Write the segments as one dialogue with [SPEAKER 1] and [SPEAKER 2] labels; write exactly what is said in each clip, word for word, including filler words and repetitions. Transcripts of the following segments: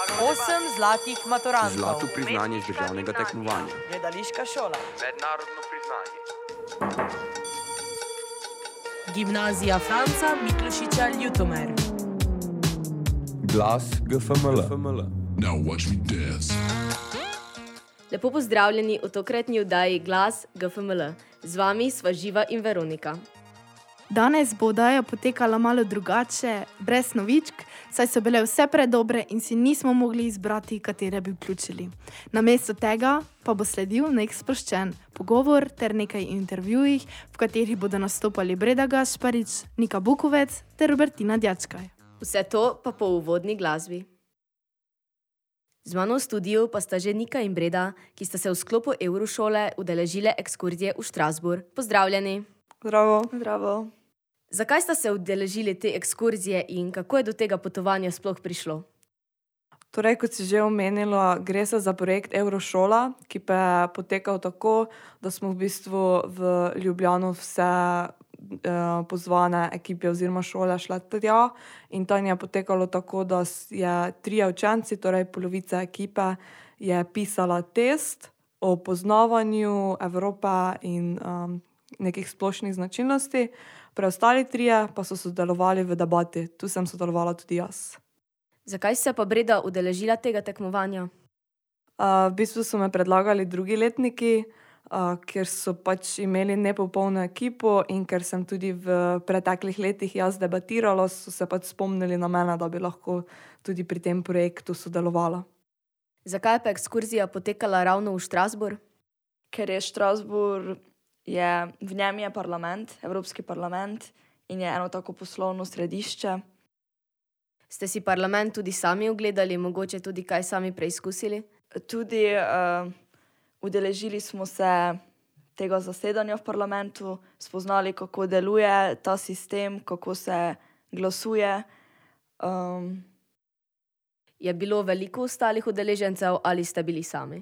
[SPEAKER 1] Osem zlatih maturantov.
[SPEAKER 2] Zlato priznanje z državnega tekmovanja.
[SPEAKER 1] Gledališka šola.
[SPEAKER 3] Mednarodno priznanje.
[SPEAKER 1] Gimnazija Franca Miklošiča Ljutomer.
[SPEAKER 2] Glas G F M L.
[SPEAKER 4] Now watch me dance.
[SPEAKER 5] Lepo pozdravljeni v tokratni oddaji Glas G F M L. Z vami sva Živa in Veronika.
[SPEAKER 6] Danes bo oddaja potekala malo drugače, brez novičk, saj so bile vse predobre in si nismo mogli izbrati, katere bi vključili. Namesto tega pa bo sledil nek sproščen pogovor ter nekaj intervjujih, v katerih bodo nastopali Breda Gašparič, Nika Bukovec ter Robertina Djačkaj.
[SPEAKER 5] Vse to pa po uvodni glasbi. Z mano v studiu pa sta že Nika in Breda, ki sta se v sklopu Eurošole udeležile ekskurzije v Strasbourg. Pozdravljeni!
[SPEAKER 7] Zdravo. Zdravo.
[SPEAKER 5] Zakaj sta se udeležili te ekskurzije in kako je do tega potovanja sploh prišlo?
[SPEAKER 7] Torej, kot si že omenila, gre se za projekt Eurošola, ki pa je potekal tako, da smo v bistvu v Ljubljano vse eh, pozvane ekipe oziroma šole šle tja in tam je potekalo tako, da je trije učenci, torej polovica ekipe, je pisala test o poznavanju Evrope in um, nekih splošnih značilnosti. Preostali trije pa so sodelovali v debati. Tu sem sodelovala tudi jaz.
[SPEAKER 5] Zakaj se pa Breda udeležila tega tekmovanja?
[SPEAKER 7] Uh, v bistvu so me predlagali drugi letniki, uh, ker so pač imeli nepopolno ekipo in ker sem tudi v preteklih letih jaz debatirala, so se pač spomnili na mene, da bi lahko tudi pri tem projektu sodelovala.
[SPEAKER 5] Zakaj pa ekskurzija potekala ravno v Strasbourg?
[SPEAKER 8] Ker je Strasbourg, je, v njem je parlament, Evropski parlament in je eno tako poslovno središče.
[SPEAKER 5] Ste si parlament tudi sami ogledali, mogoče tudi kaj sami preizkusili?
[SPEAKER 8] Tudi uh, udeležili smo se tega zasedanja v parlamentu, spoznali, kako deluje ta sistem, kako se glasuje. Um,
[SPEAKER 5] je bilo veliko ostalih udeležencev ali ste bili sami?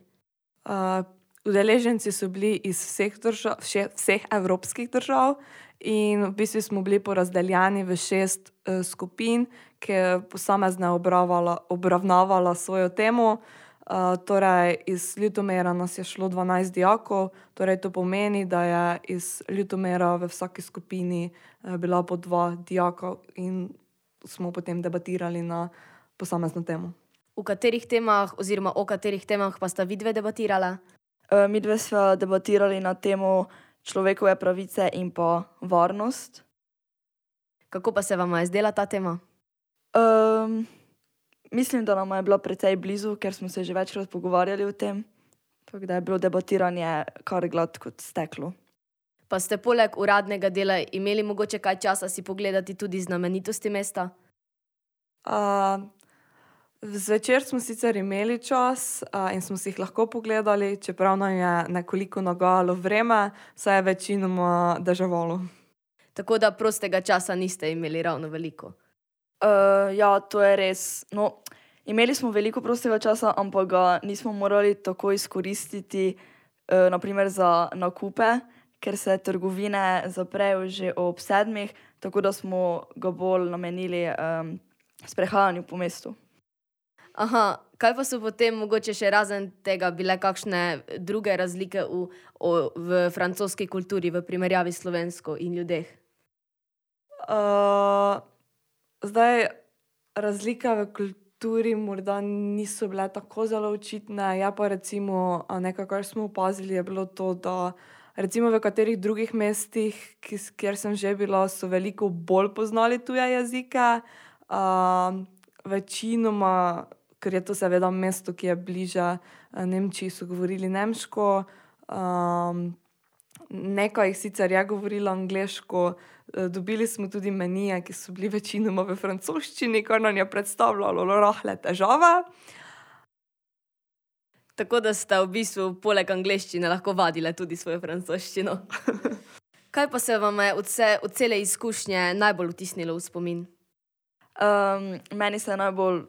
[SPEAKER 7] Uh, Udeleženci so bili iz vseh, držav, vseh evropskih držav in v bistvu smo bili porazdeljeni v šest uh, skupin, ki je posamezna obravnavala svojo temo. Uh, torej iz Ljutomera nas je šlo dvanajst dijakov, torej to pomeni, da je iz Ljutomera v vsaki skupini uh, bila po dva dijaka in smo potem debatirali na posamezno temo.
[SPEAKER 5] V katerih temah oziroma o katerih temah pa sta vidve debatirala?
[SPEAKER 8] Uh, mi dve sva debatirali na temo človekove pravice in pa varnost.
[SPEAKER 5] Kako pa se vam je zdela ta tema?
[SPEAKER 8] Um, mislim, da nam je bila precej blizu, ker smo se že večkrat pogovarjali o tem, tako da je bilo debatiranje kar glad kot steklo.
[SPEAKER 5] Pa ste poleg uradnega dela imeli mogoče kaj časa si pogledati tudi znamenitosti mesta?
[SPEAKER 7] Uh, Zvečer smo sicer imeli čas uh, in smo si jih lahko pogledali, čeprav nam je nekoliko nagajalo vreme, saj je večinoma deževalo.
[SPEAKER 5] Tako da prostega časa niste imeli ravno veliko?
[SPEAKER 8] Uh, ja, to je res. No, imeli smo veliko prostega časa, ampak ga nismo morali tako izkoristiti, uh, naprimer za nakupe, ker se trgovine zaprejo že ob sedmih, tako da smo ga bolj namenili um, sprehajanju po mestu.
[SPEAKER 5] Aha, kaj pa so potem mogoče še razen tega bile kakšne druge razlike v, o, v francoski kulturi v primerjavi s slovensko in ljudeh?
[SPEAKER 7] Uh, zdaj, razlike v kulturi morda niso bile tako zelo očitne, ja pa recimo nekaj, kar smo opazili, je bilo to, da recimo v katerih drugih mestih, kjer sem že bila, so veliko bolj poznali tuje jezike, uh, večinoma, ker je to seveda mesto, ki je bliže Nemčiji, so govorili nemško. Um, nekaj jih sicer je govorilo angleško. Dobili smo tudi menije, ki so bili večinoma v francoščini, kar nam je predstavljalo rahle težave.
[SPEAKER 5] Tako da ste v bistvu poleg angleščine lahko vadile tudi svojo francoščino. Kaj pa se vam je od, vse, od cele izkušnje najbolj vtisnilo v spomin?
[SPEAKER 8] Um, meni se je najbolj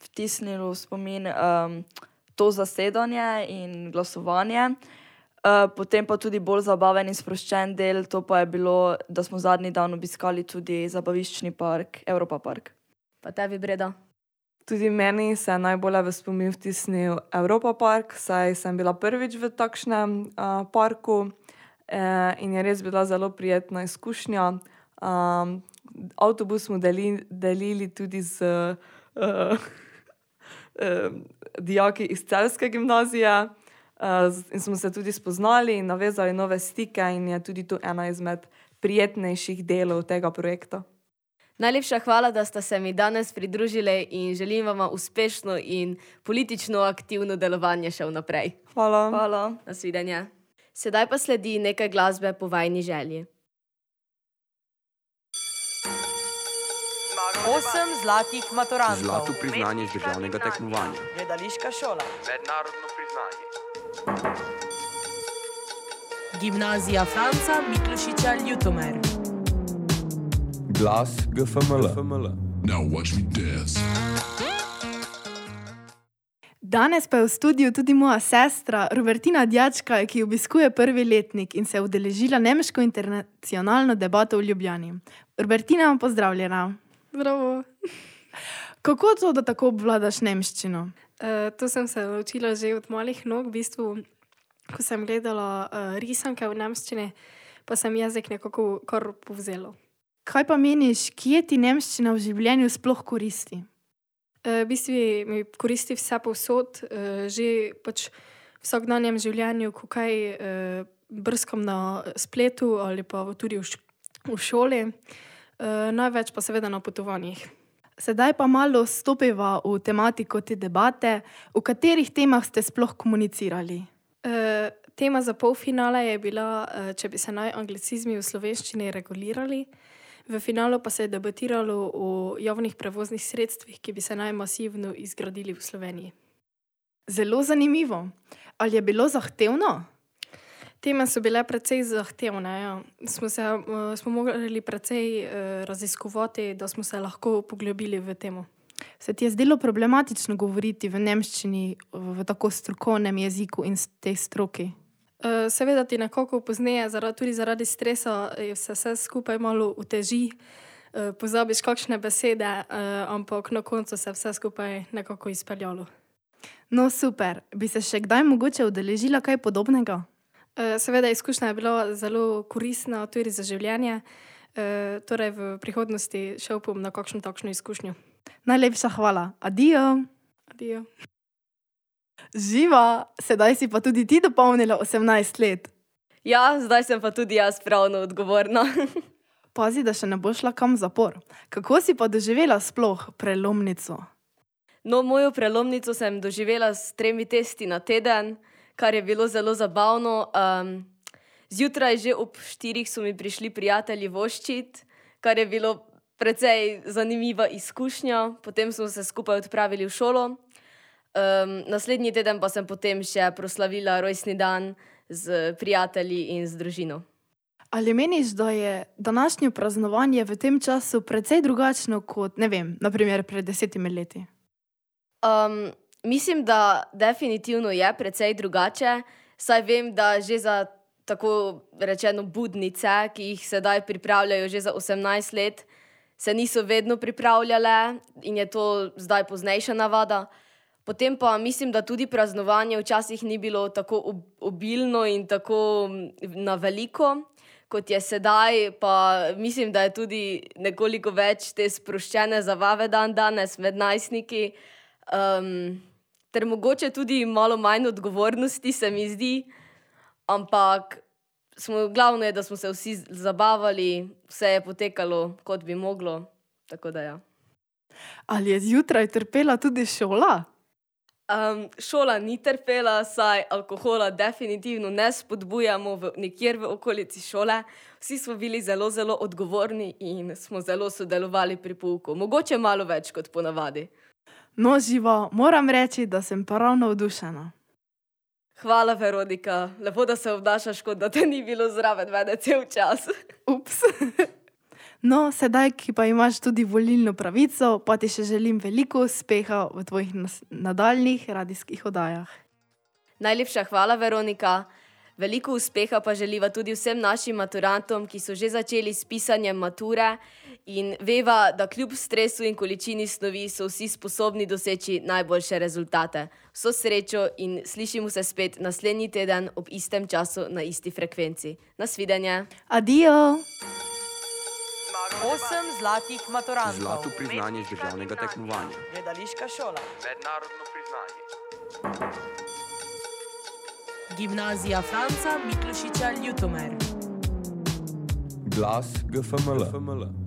[SPEAKER 8] vtisnilo v spomin um, to zasedanje in glasovanje. Uh, potem pa tudi bolj zabaven in sproščen del, to pa je bilo, da smo zadnji dan obiskali tudi zabaviščni park, Europa park.
[SPEAKER 5] Pa tebi, Breda?
[SPEAKER 7] Tudi meni se je najbolj v spomin vtisnil Europa Park, saj sem bila prvič v takšnem uh, parku eh, in je res bila zelo prijetna izkušnja. Um, avtobus smo deli, delili tudi z uh, uh, dijaki iz Celjske gimnazije uh, in smo se tudi spoznali in navezali nove stike in je tudi to ena izmed prijetnejših delov tega projekta.
[SPEAKER 5] Najlepša hvala, da ste se mi danes pridružili in želim vam uspešno in politično aktivno delovanje še vnaprej.
[SPEAKER 7] Hvala.
[SPEAKER 8] Hvala.
[SPEAKER 5] Nasvidenje. Sedaj pa sledi nekaj glasbe po vajni želji.
[SPEAKER 1] Osem zlatih maturantov.
[SPEAKER 2] Zlato priznanje iz državnega tekmovanja.
[SPEAKER 1] Gledališka šola.
[SPEAKER 2] Mednarodno priznanje.
[SPEAKER 1] Gimnazija Franca Miklošiča Ljutomer.
[SPEAKER 2] Glas G F M L.
[SPEAKER 4] Now watch me dance.
[SPEAKER 6] Danes pa je v studiu tudi moja sestra Robertina Djačka, ki obiskuje prvi letnik in se je udeležila nemško internacionalno debato v Ljubljani. Robertina, pozdravljena.
[SPEAKER 3] Zdravo.
[SPEAKER 6] Kako to, da tako obvladaš nemščino?
[SPEAKER 3] Uh, to sem se naučila že od malih nog, v bistvu, ko sem gledala uh, risanke v nemščini, pa sem jezik nekako kar povzela.
[SPEAKER 6] Kaj pa meniš, kje ti nemščina v življenju sploh koristi?
[SPEAKER 3] Uh, v bistvu mi koristi vse povsod, uh, že pač v vsakdanjem življenju, ko kaj uh, brskam na spletu ali pa tudi v, š- v šoli, uh, največ pa seveda na potovanjih.
[SPEAKER 6] Sedaj pa malo stopiva v tematiko te debate, v katerih temah ste sploh komunicirali.
[SPEAKER 3] Uh, tema za polfinale je bila, uh, če bi se naj anglicizmi v slovenščini regulirali. V finalu pa se je debatiralo o javnih prevoznih sredstvih, ki bi se naj masivno izgradili v Sloveniji.
[SPEAKER 6] Zelo zanimivo. Ali je bilo zahtevno?
[SPEAKER 3] Teme so bile precej zahtevne. Ja. Smo, se, uh, smo morali precej uh, raziskovati, da smo se lahko poglobili v temo.
[SPEAKER 6] Se ti je zdelo problematično govoriti v nemščini, v tako strokovnem jeziku in tej stroki?
[SPEAKER 3] Uh, seveda ti nekako pozneje, zaradi, tudi zaradi stresa, se vse skupaj malo uteži, uh, pozabiš kakšne besede, uh, ampak na koncu se vse skupaj nekako izpeljalo.
[SPEAKER 6] No super, bi se še kdaj mogoče udeležila kaj podobnega?
[SPEAKER 3] Uh, seveda izkušnja je bila zelo koristna tudi za življenje, uh, torej v prihodnosti še upam na kakšno takšno izkušnjo.
[SPEAKER 6] Najlepša hvala. Adijo.
[SPEAKER 3] Adijo.
[SPEAKER 6] Živa, sedaj si pa tudi ti dopolnila osemnajst let.
[SPEAKER 5] Ja, zdaj sem pa tudi jaz pravno odgovorna.
[SPEAKER 6] Pazi, da še ne boš šla kam v zapor. Kako si pa doživela sploh prelomnico?
[SPEAKER 5] No, mojo prelomnico sem doživela s tremi testi na teden, kar je bilo zelo zabavno. Um, zjutraj že ob štirih so mi prišli prijatelji voščit, kar je bilo precej zanimiva izkušnja. Potem smo se skupaj odpravili v šolo. Um, naslednji teden pa sem potem še proslavila rojstni dan z prijatelji in z družino.
[SPEAKER 6] Ali meniš, da je današnje praznovanje v tem času precej drugačno kot, ne vem, naprimer pred desetimi leti?
[SPEAKER 5] Um, mislim, da definitivno je precej drugače, saj vem, da že za tako rečeno budnice, ki jih sedaj pripravljajo že za osemnajst let, se niso vedno pripravljale in je to zdaj poznejša navada. Potem pa mislim, da tudi praznovanje včasih ni bilo tako obilno in tako na veliko, kot je sedaj, pa mislim, da je tudi nekoliko več te sproščene zabave dan danes med najstniki, um, ter mogoče tudi malo manj odgovornosti, se mi zdi, ampak smo, glavno je, da smo se vsi zabavali, vse je potekalo, kot bi moglo, tako da ja.
[SPEAKER 6] Ali je zjutraj trpela tudi šola?
[SPEAKER 5] Um, šola ni trpela, saj alkohola definitivno ne spodbujamo v, nikjer v okolici šole. Vsi smo bili zelo, zelo odgovorni in smo zelo sodelovali pri pouku. Mogoče malo več kot ponavadi.
[SPEAKER 6] No, Živa, moram reči, da sem pa ravno navdušena.
[SPEAKER 5] Hvala, Veronika. Lepo, da se obnašaš, kot da te ni bilo zraven mene cel čas.
[SPEAKER 6] Ups. No, sedaj, ki pa imaš tudi volilno pravico, pa ti še želim veliko uspeha v tvojih nadaljnih radijskih oddajah.
[SPEAKER 5] Najlepša hvala, Veronika. Veliko uspeha pa želiva tudi vsem našim maturantom, ki so že začeli s pisanjem mature in veva, da kljub stresu in količini snovi so vsi sposobni doseči najboljše rezultate. Vso srečo in slišimo se spet naslednji teden ob istem času na isti frekvenci. Nasvidenje.
[SPEAKER 6] Adijo!
[SPEAKER 1] Osem zlatih maturantov.
[SPEAKER 2] Zlato priznanje z državnega tekmovanja.
[SPEAKER 1] Gledališka šola.
[SPEAKER 2] Mednarodno priznanje.
[SPEAKER 1] Gimnazija Franca Miklošiča Ljutomer.
[SPEAKER 2] Glas G F M L.